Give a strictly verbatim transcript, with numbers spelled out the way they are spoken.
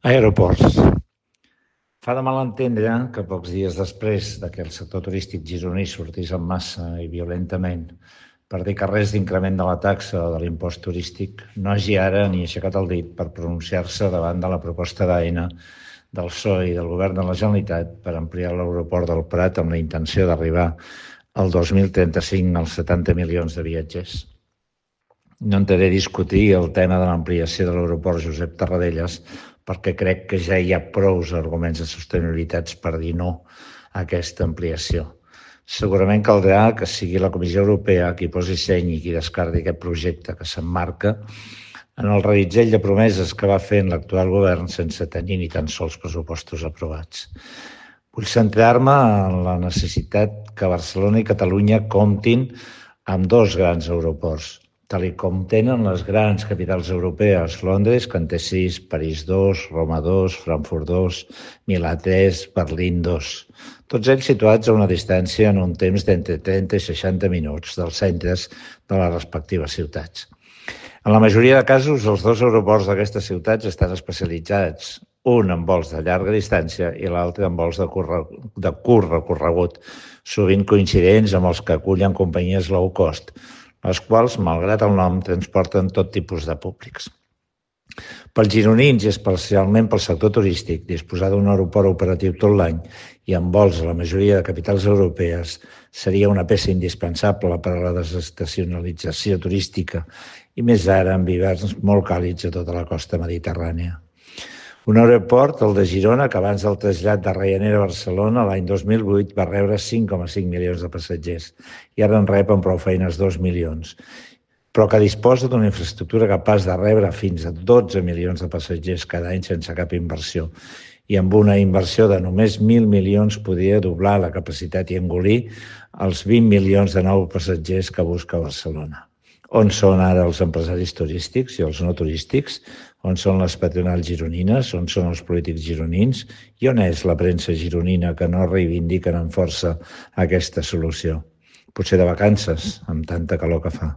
Aeroports. Fa de mal entendre que pocs dies després de que el sector turístic gironí sortís en massa i violentament per dir que res d'increment de la taxa o de l'impost turístic, no hagi ara ni aixecat el dit per pronunciar-se davant de la proposta d'Aena, del P S O E i del Govern de la Generalitat per ampliar l'aeroport del Prat amb la intenció d'arribar al dos mil trenta-cinc als setanta milions de viatgers. No entraré a discutir el tema de l'ampliació de l'aeroport Josep Tarradellas perquè crec que ja hi ha prous arguments de sostenibilitat per dir no a aquesta ampliació. Segurament caldrà que sigui la Comissió Europea qui posi seny i qui descarti aquest projecte que s'emmarca en el reguitzell de promeses que va fent l'actual govern sense tenir ni tan sols pressupostos aprovats. Vull centrar-me en la necessitat que Barcelona i Catalunya comptin amb dos grans aeroports, tal com tenen les grans capitals europees, Londres, que en té sis, París dos, Roma dos, Frankfurt dos, Milà tres, Berlín dos. Tots ells situats a una distància en un temps d'entre trenta i seixanta minuts dels centres de les respectives ciutats. En la majoria de casos, els dos aeroports d'aquestes ciutats estan especialitzats, un en vols de llarga distància i l'altre en vols de curt, de curt recorregut, sovint coincidents amb els que acullen companyies low cost, les quals, malgrat el nom, transporten tot tipus de públics. Pels gironins i especialment pel sector turístic, disposar d'un aeroport operatiu tot l'any i amb vols a la majoria de capitals europees seria una peça indispensable per a la desestacionalització turística i més ara amb hiverns molt càlids a tota la costa mediterrània. Un aeroport, el de Girona, que abans del trasllat de Ryanair a Barcelona l'any dos mil vuit va rebre cinc coma cinc milions de passatgers i ara en rep amb prou feines dos milions, però que disposa d'una infraestructura capaç de rebre fins a dotze milions de passatgers cada any sense cap inversió i amb una inversió de només mil milions podria doblar la capacitat i engolir els vint milions de nous passatgers que busca Barcelona. On són ara els empresaris turístics i els no turístics? On són les patronals gironines? On són els polítics gironins? I on és la premsa gironina que no reivindiquen amb força aquesta solució? Potser de vacances, amb tanta calor que fa.